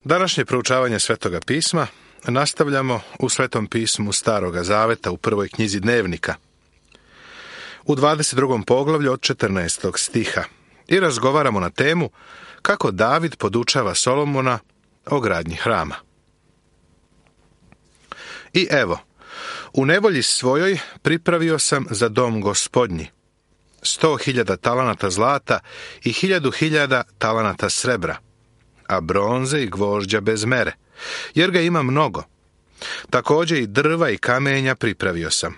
Današnje proučavanje Svetoga pisma nastavljamo u Svetom pismu Staroga Zaveta u prvoj knjizi Dnevnika, u 22. poglavlju od 14. stiha i razgovaramo na temu kako David podučava Solomona o gradnji hrama. I evo, u nevolji svojoj pripravio sam za dom Gospodnji 100.000 talanata zlata i 1.000 talanata srebra, a bronze i gvožđa bez mere, jer ga ima mnogo. Također i drva i kamenja pripravio sam,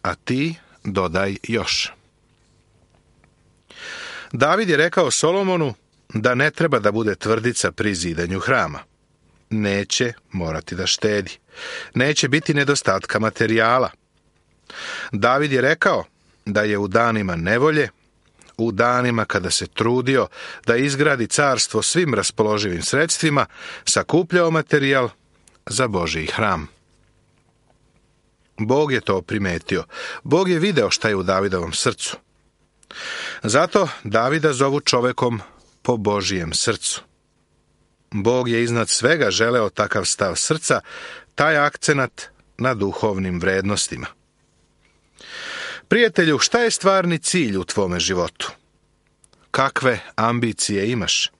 a ti dodaj još. David je rekao Solomonu da ne treba da bude tvrdica pri zidanju hrama. Neće morati da štedi. Neće biti nedostatka materijala. David je rekao da je u danima nevolje, u danima kada se trudio da izgradi carstvo svim raspoloživim sredstvima, sakupljao materijal za Božji hram. Bog je to primetio. Bog je video šta je u Davidovom srcu. Zato Davida zovu čovekom po Božijem srcu. Bog je iznad svega želeo takav stav srca, taj akcenat na duhovnim vrednostima. Prijatelju, šta je stvarni cilj u tvome životu? Kakve ambicije imaš?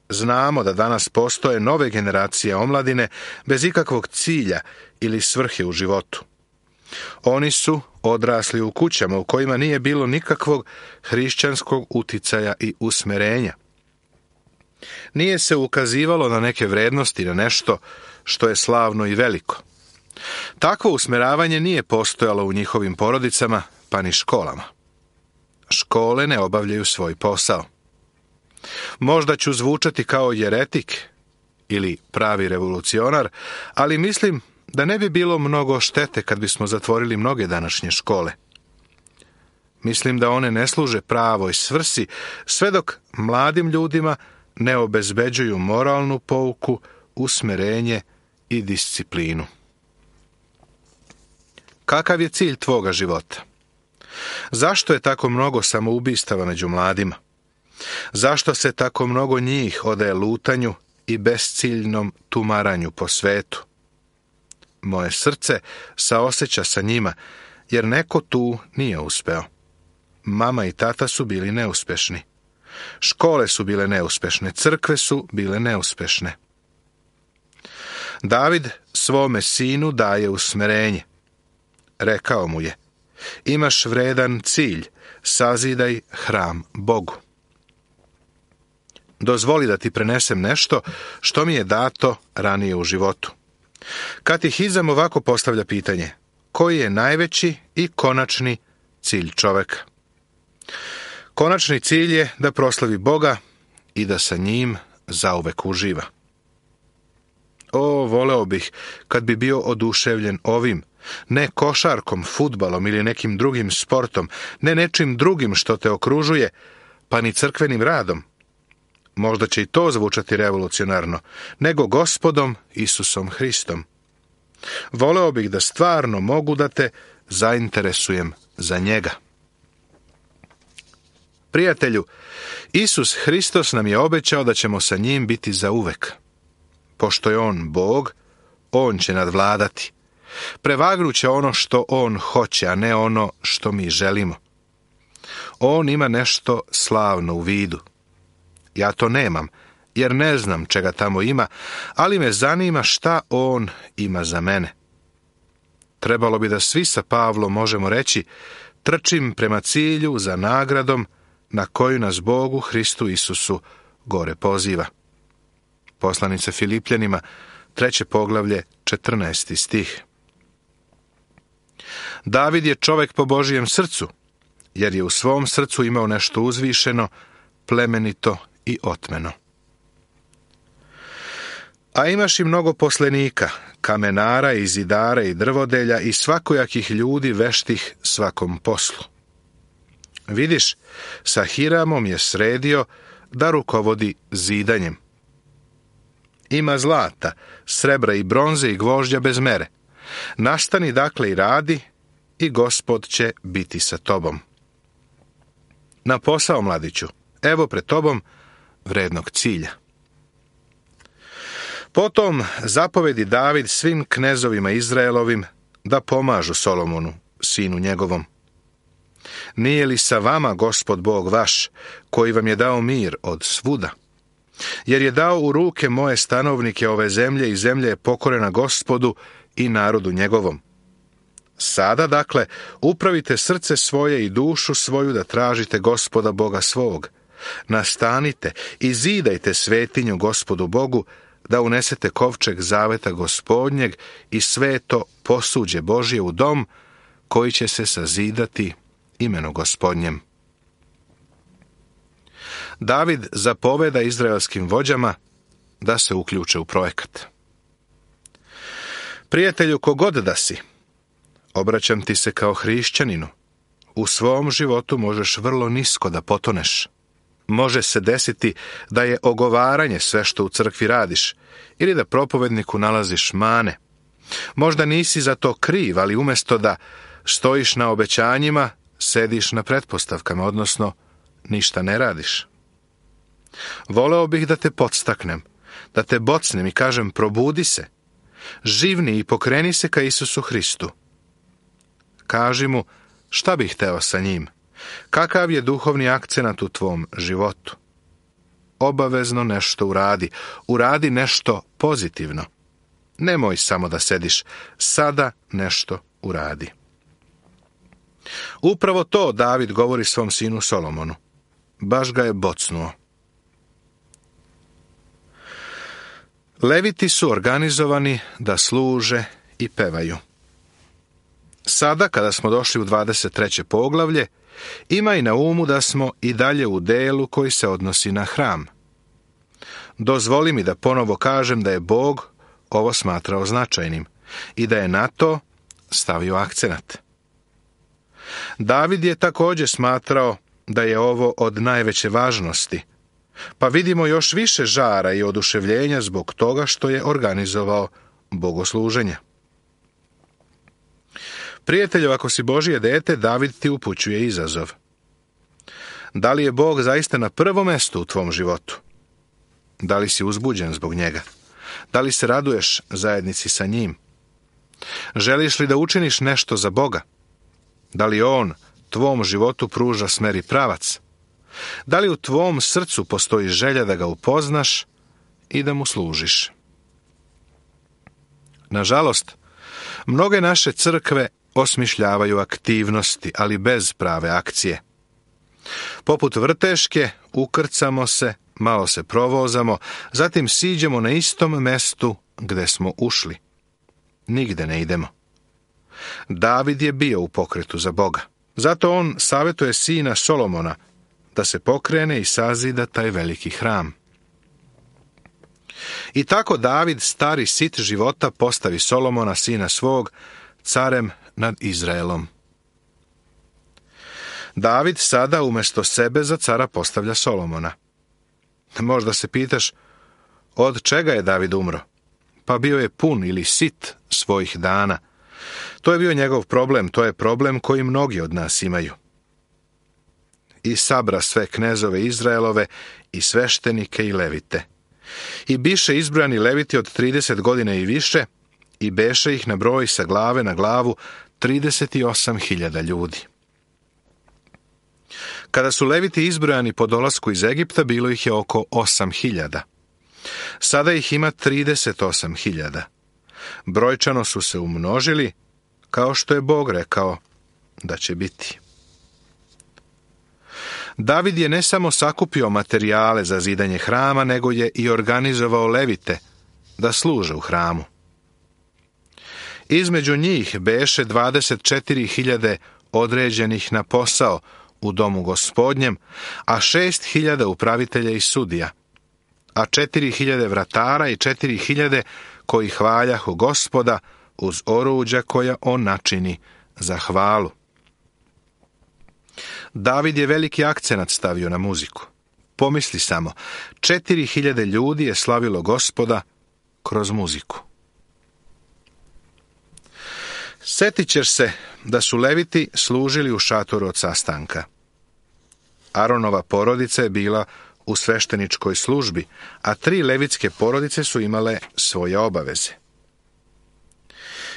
Znamo da danas postoje nove generacije omladine bez ikakvog cilja ili svrhe u životu. Oni su odrasli u kućama u kojima nije bilo nikakvog hrišćanskog uticaja i usmerenja. Nije se ukazivalo na neke vrednosti, na nešto što je slavno i veliko. Takvo usmeravanje nije postojalo u njihovim porodicama, pa ni školama. Škole ne obavljaju svoj posao. Možda ću zvučati kao jeretik ili pravi revolucionar, ali mislim da ne bi bilo mnogo štete kad bismo zatvorili mnoge današnje škole. Mislim da one ne služe pravoj svrsi, sve dok mladim ljudima ne obezbeđuju moralnu pouku, usmerenje i disciplinu. Kakav je cilj tvoga života? Zašto je tako mnogo samoubistava među mladima? Zašto se tako mnogo njih odaje lutanju i besciljnom tumaranju po svetu? Moje srce saoseća sa njima, jer neko tu nije uspeo. Mama i tata su bili neuspešni. Škole su bile neuspešne, crkve su bile neuspešne. David svome sinu daje usmerenje. Rekao mu je: imaš vredan cilj, sazidaj hram Bogu. Dozvoli da ti prenesem nešto što mi je dato ranije u životu. Katehizam ovako postavlja pitanje: koji je najveći i konačni cilj čoveka? Konačni cilj je da proslavi Boga i da sa njim zauvek uživa. Voleo bih kad bi bio oduševljen ovim, ne košarkom, fudbalom ili nekim drugim sportom, ne nečim drugim što te okružuje, pa ni crkvenim radom. Možda će i to zvučati revolucionarno, nego Gospodom Isusom Hristom. Voleo bih da stvarno mogu da te zainteresujem za njega. Prijatelju, Isus Hristos nam je obećao da ćemo sa njim biti zauvek. Pošto je on Bog, on će nadvladati. Prevagnuće ono što on hoće, a ne ono što mi želimo. On ima nešto slavno u vidu. Ja to nemam, jer ne znam čega tamo ima, ali me zanima šta on ima za mene. Trebalo bi da svi sa Pavlom možemo reći: trčim prema cilju za nagradom na koju nas Bogu Hristu Isusu gore poziva. Poslanica Filipljanima, 3. poglavlje, 14. stih. David je čovek po Božijem srcu, jer je u svom srcu imao nešto uzvišeno, plemenito i otmeno. A imaš i mnogo poslenika, kamenara i zidara i drvodelja i svakojakih ljudi veštih svakom poslu. Vidiš, sa Hiramom je sredio da rukovodi zidanjem. Ima zlata, srebra i bronze i gvožđa bez mere. Nastani dakle i radi, i Gospod će biti sa tobom. Na posao, mladiću, evo pred tobom vrednog cilja. Potom zapovedi David svim knezovima Izraelovim da pomažu Solomonu, sinu njegovom. Nije li sa vama Gospod Bog vaš, koji vam je dao mir od svuda? Jer je dao u ruke moje stanovnike ove zemlje i zemlja je pokorena Gospodu i narodu njegovom. Sada, dakle, upravite srce svoje i dušu svoju da tražite Gospoda Boga svog. Nastanite i zidajte svetinju Gospodu Bogu, da unesete kovčeg zaveta Gospodnjeg i sveto posuđe Božje u dom, koji će se sazidati imenu Gospodnjem. David zapoveda izraelskim vođama da se uključe u projekat. Prijatelju, kogod da si, obraćam ti se kao hrišćaninu. U svom životu možeš vrlo nisko da potoneš. Može se desiti da je ogovaranje sve što u crkvi radiš ili da propovedniku nalaziš mane. Možda nisi za to kriv, ali umjesto da stojiš na obećanjima, sediš na pretpostavkama, odnosno ništa ne radiš. Voleo bih da te podstaknem, da te bocnem i kažem probudi se, živni i pokreni se ka Isusu Hristu. Kaži mu šta bih hteo sa njim, kakav je duhovni akcenat u tvom životu. Obavezno nešto uradi, uradi nešto pozitivno. Nemoj samo da sediš, sada nešto uradi. Upravo to David govori svom sinu Solomonu. Baš ga je bocnuo. Leviti su organizovani da služe i pevaju. Sada, kada smo došli u 23. poglavlje, imaj na umu da smo i dalje u delu koji se odnosi na hram. Dozvoli mi da ponovo kažem da je Bog ovo smatrao značajnim i da je na to stavio akcenat. David je također smatrao da je ovo od najveće važnosti, pa vidimo još više žara i oduševljenja zbog toga što je organizovao bogosluženje. Prijatelju, ako si Božje dete, David ti upućuje izazov. Da li je Bog zaista na prvom mjestu u tvom životu? Da li si uzbuđen zbog njega? Da li se raduješ zajednici sa njim? Želiš li da učiniš nešto za Boga? Da li on tvom životu pruža smer i pravac? Da li u tvom srcu postoji želja da ga upoznaš i da mu služiš? Nažalost, mnoge naše crkve osmišljavaju aktivnosti, ali bez prave akcije. Poput vrteške, ukrcamo se, malo se provozamo, zatim siđemo na istom mestu gde smo ušli. Nigde ne idemo. David je bio u pokretu za Boga. Zato on savjetuje sina Solomona da se pokrene i sazida taj veliki hram. I tako David, stari sit života, postavi Solomona, sina svog, carem nad Izraelom. David sada umjesto sebe za cara postavlja Solomona. Možda se pitaš, od čega je David umro? Pa bio je pun ili sit svojih dana. To je bio njegov problem, to je problem koji mnogi od nas imaju. I sabra sve knezove Izraelove i sveštenike i levite. I biše izbrojani leviti od 30 godina i više, i beše ih na broj sa glave na glavu 38.000 ljudi. Kada su leviti izbrojani po dolasku iz Egipta, bilo ih je oko 8.000. Sada ih ima 38.000. Brojčano su se umnožili, kao što je Bog rekao da će biti. David je ne samo sakupio materijale za zidanje hrama, nego je i organizovao levite da služe u hramu. Između njih beše 24.000 određenih na posao u domu Gospodnjem, a 6.000 upravitelja i sudija, a 4.000 vratara i 4.000 koji hvaljahu Gospoda uz oruđa koja on načini za hvalu. David je veliki akcenat stavio na muziku. Pomisli samo, 4.000 ljudi je slavilo Gospoda kroz muziku. Sjetit ćeš se da su leviti služili u šatoru od sastanka. Aronova porodica je bila u svešteničkoj službi, a 3 levitske porodice su imale svoje obaveze.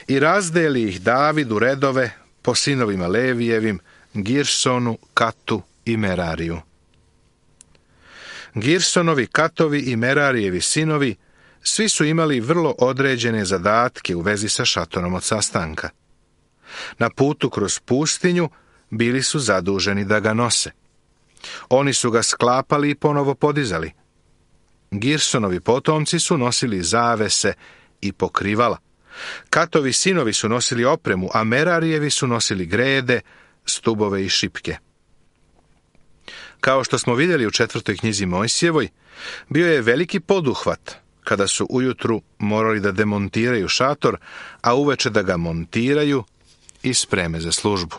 I razdeli ih David u redove po sinovima Levijevim, Girsonu, Katu i Merariju. Girsonovi, Katovi i Merarijevi sinovi svi su imali vrlo određene zadatke u vezi sa šatorom od sastanka. Na putu kroz pustinju bili su zaduženi da ga nose. Oni su ga sklapali i ponovo podizali. Girsonovi potomci su nosili zavese i pokrivala. Katovi sinovi su nosili opremu, a Merarijevi su nosili grede, stubove i šipke. Kao što smo vidjeli u 4. knjizi Mojsijevoj, bio je veliki poduhvat kada su ujutru morali da demontiraju šator, a uveče da ga montiraju i spreme za službu.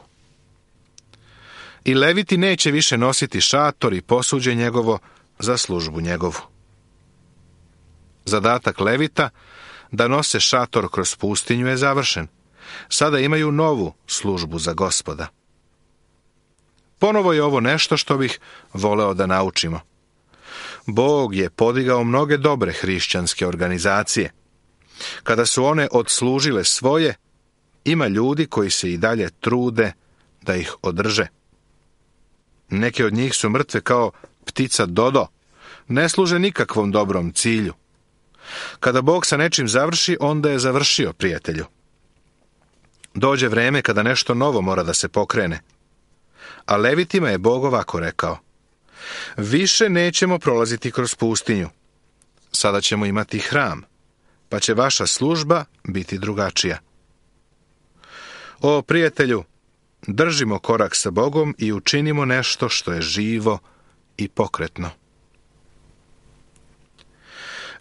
I Leviti neće više nositi šator i posuđe njegovo za službu njegovu. Zadatak Levita da nose šator kroz pustinju je završen. Sada imaju novu službu za Gospoda. Ponovo je ovo nešto što bih voleo da naučimo. Bog je podigao mnoge dobre hrišćanske organizacije. Kada su one odslužile svoje, ima ljudi koji se i dalje trude da ih održe. Neke od njih su mrtve kao ptica dodo, ne služe nikakvom dobrom cilju. Kada Bog sa nečim završi, onda je završio, prijatelju. Dođe vreme kada nešto novo mora da se pokrene. A Levitima je Bog ovako rekao: više nećemo prolaziti kroz pustinju. Sada ćemo imati hram, pa će vaša služba biti drugačija. O, prijatelju, držimo korak sa Bogom i učinimo nešto što je živo i pokretno.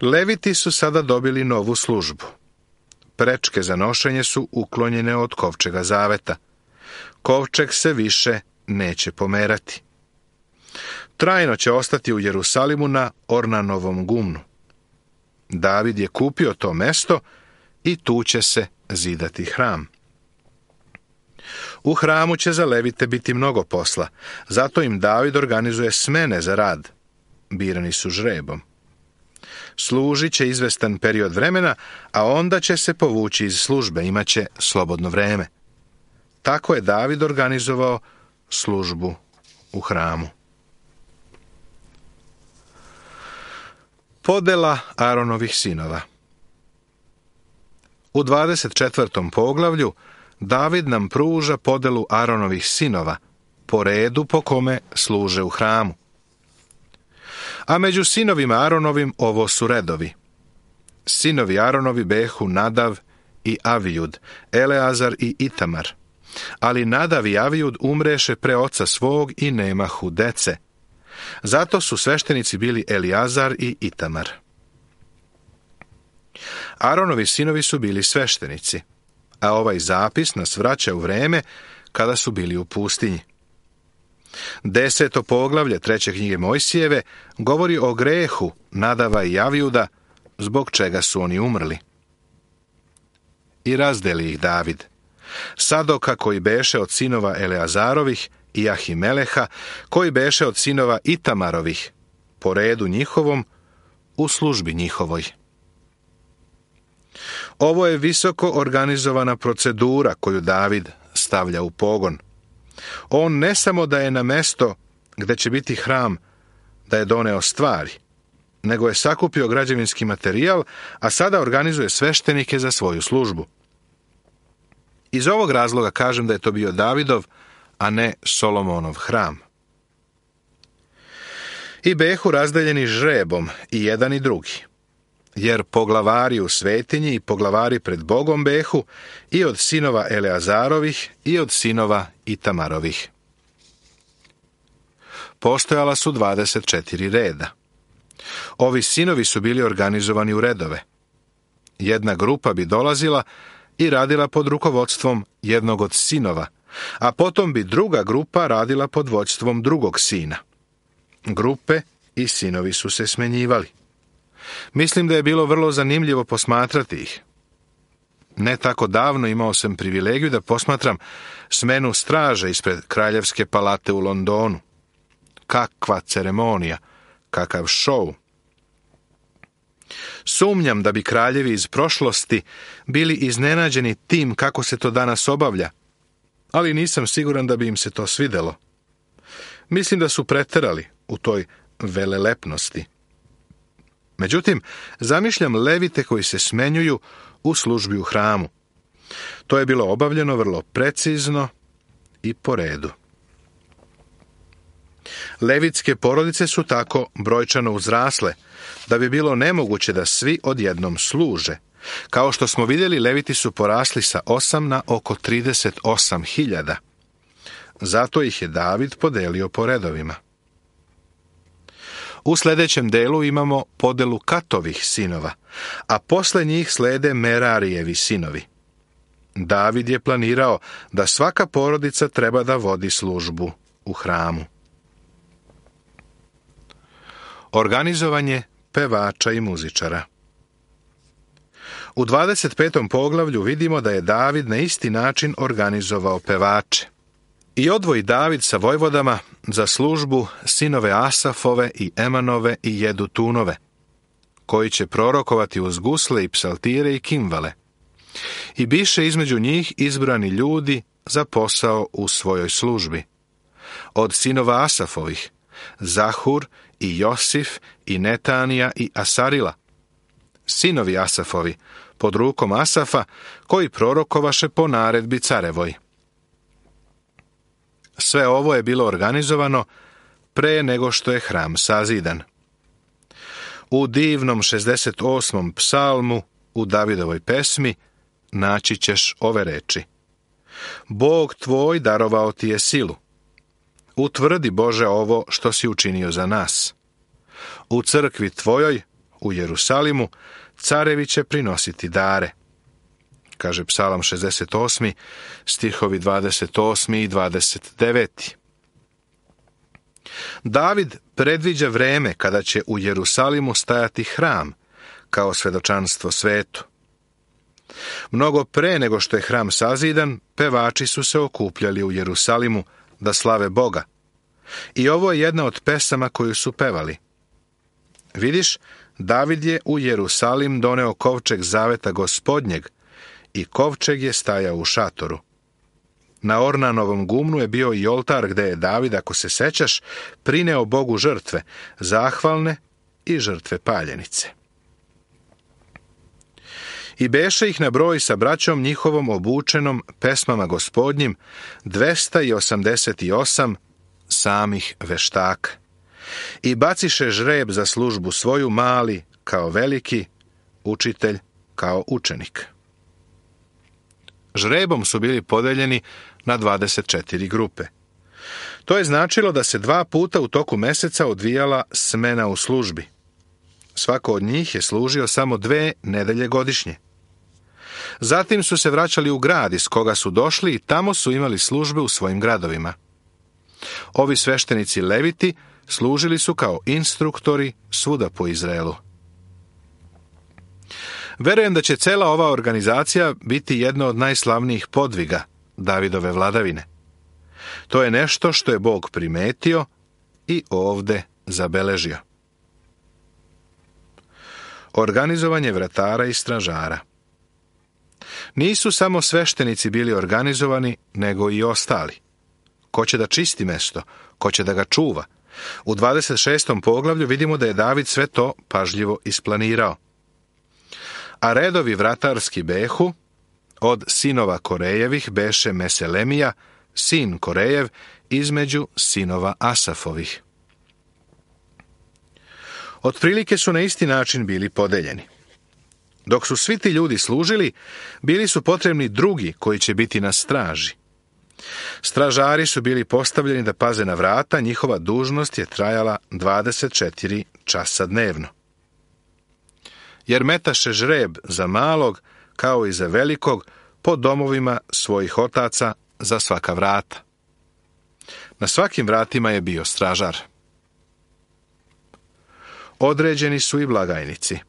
Leviti su sada dobili novu službu. Prečke za nošenje su uklonjene od kovčega zaveta. Kovčeg se više neće pomerati. Trajno će ostati u Jerusalimu na Ornanovom gumnu. David je kupio to mesto i tu će se zidati hram. U hramu će za Levite biti mnogo posla, zato im David organizuje smene za rad. Birani su žrebom. Služit će izvestan period vremena, a onda će se povući iz službe, imaće slobodno vreme. Tako je David organizovao službu u hramu. Podela Aronovih sinova. U 24. poglavlju David nam pruža podelu Aronovih sinova po redu po kome služe u hramu. A među sinovima Aronovim ovo su redovi. Sinovi Aronovi behu Nadav i Avijud, Eleazar i Itamar. Ali Nadav i Avijud umreše pre oca svog i nemahu dece. Zato su sveštenici bili Eliazar i Itamar. Aronovi sinovi su bili sveštenici, a ovaj zapis nas vraća u vreme kada su bili u pustinji. 10. poglavlje 3. knjige Mojsijeve govori o grehu Nadava i Avijuda, zbog čega su oni umrli. I razdeli ih David. Sadoka, koji beše od sinova Eleazarovih, i Ahimeleha, koji beše od sinova Itamarovih, po redu njihovom, u službi njihovoj. Ovo je visoko organizovana procedura koju David stavlja u pogon. On ne samo da je na mesto gde će biti hram, da je doneo stvari, nego je sakupio građevinski materijal, a sada organizuje sveštenike za svoju službu. Iz ovog razloga kažem da je to bio Davidov, a ne Solomonov hram. I behu razdeljeni žrebom, i jedan i drugi, jer poglavari u svetinji i poglavari pred Bogom behu i od sinova Eleazarovih i od sinova Itamarovih. Postojala su 24 reda. Ovi sinovi su bili organizovani u redove. Jedna grupa bi dolazila i radila pod rukovodstvom jednog od sinova, a potom bi druga grupa radila pod vođstvom drugog sina. Grupe i sinovi su se smenjivali. Mislim da je bilo vrlo zanimljivo posmatrati ih. Ne tako davno imao sam privilegiju da posmatram smenu straže ispred Kraljevske palate u Londonu. Kakva ceremonija, kakav šou. Sumnjam da bi kraljevi iz prošlosti bili iznenađeni tim kako se to danas obavlja, ali nisam siguran da bi im se to svidelo. Mislim da su preterali u toj velelepnosti. Međutim, zamišljam levite koji se smenjuju u službi u hramu. To je bilo obavljeno vrlo precizno i po redu. Levitske porodice su tako brojčano uzrasle, da bi bilo nemoguće da svi odjednom služe. Kao što smo vidjeli, leviti su porasli sa 8 na oko 38.000. Zato ih je David podelio po redovima. U sljedećem delu imamo podelu Katovih sinova, a posle njih slede Merarijevi sinovi. David je planirao da svaka porodica treba da vodi službu u hramu. Organizovanje pevača i muzičara. U 25. poglavlju vidimo da je David na isti način organizovao pevače. I odvoji David sa vojvodama za službu sinove Asafove i Emanove i Jedutunove, koji će prorokovati uz gusle i psaltire i kimvale. I biše između njih izbrani ljudi za posao u svojoj službi. Od sinova Asafovih, Zahur i Josif i Netanija i Asarila. Sinovi Asafovi, pod rukom Asafa, koji prorokovaše po naredbi carevoj. Sve ovo je bilo organizovano pre nego što je hram sazidan. U divnom 68. psalmu u Davidovoj pesmi naći ćeš ove reči. Bog tvoj darovao ti je silu. Utvrdi, Bože, ovo što si učinio za nas. U crkvi tvojoj, u Jerusalimu, carevi će prinositi dare. Kaže psalam 68. stihovi 28. i 29. David predviđa vreme kada će u Jerusalimu stajati hram, kao svedočanstvo svetu. Mnogo pre nego što je hram sazidan, pevači su se okupljali u Jerusalimu da slave Boga. I ovo je jedna od pesama koju su pevali. Vidiš, David je u Jerusalim doneo kovčeg zaveta Gospodnjeg i kovčeg je stajao u šatoru. Na Ornanovom gumnu je bio i oltar gde je David, ako se sećaš, prineo Bogu žrtve, zahvalne i žrtve paljenice. I beše ih na broj sa braćom njihovom obučenom pesmama Gospodnjim 288 samih veštaka. I baciše žreb za službu svoju, mali kao veliki, učitelj kao učenik. Žrebom su bili podeljeni na 24 grupe. To je značilo da se 2 puta u toku meseca odvijala smena u službi. Svako od njih je služio samo 2 nedelje godišnje. Zatim su se vraćali u grad iz koga su došli i tamo su imali službe u svojim gradovima. Ovi sveštenici leviti služili su kao instruktori svuda po Izraelu. Verujem da će cela ova organizacija biti jedno od najslavnijih podviga Davidove vladavine. To je nešto što je Bog primetio i ovde zabeležio. Organizovanje vratara i stražara. Nisu samo sveštenici bili organizovani, nego i ostali. Ko će da čisti mesto? Ko će da ga čuva? U 26. poglavlju vidimo da je David sve to pažljivo isplanirao. A redovi vratarski behu, od sinova Korejevih beše Meselemija, sin Korejev, između sinova Asafovih. Otprilike su na isti način bili podeljeni. Dok su svi ti ljudi služili, bili su potrebni drugi koji će biti na straži. Stražari su bili postavljeni da paze na vrata, njihova dužnost je trajala 24 časa dnevno. Jer metaše žreb za malog, kao i za velikog, po domovima svojih otaca za svaka vrata. Na svakim vratima je bio stražar. Određeni su i blagajnici.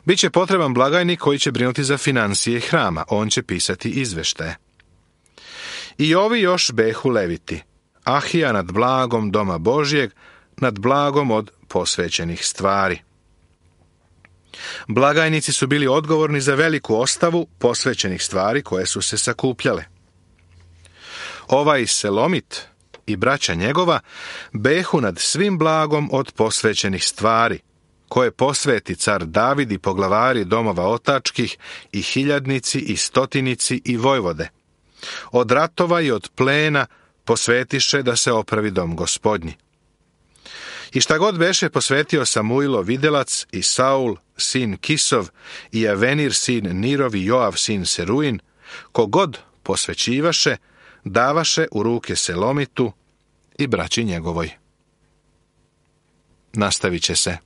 Biće potreban blagajnik koji će brinuti za financije hrama, on će pisati izveštaje. I ovi još behu leviti, Ahija nad blagom doma Božjeg, nad blagom od posvećenih stvari. Blagajnici su bili odgovorni za veliku ostavu posvećenih stvari koje su se sakupljale. Ovaj Selomit i braća njegova behu nad svim blagom od posvećenih stvari, koje posveti car David i poglavari domova otačkih i hiljadnici i stotinici i vojvode. Od ratova i od plena posvetiše da se opravi dom Gospodnji. I šta god beše posvetio Samuilo videlac i Saul, sin Kisov, i Avenir, sin Nirov i Joav, sin Seruin, kogod posvećivaše, davaše u ruke Selomitu i braći njegovoj. Nastavit će se.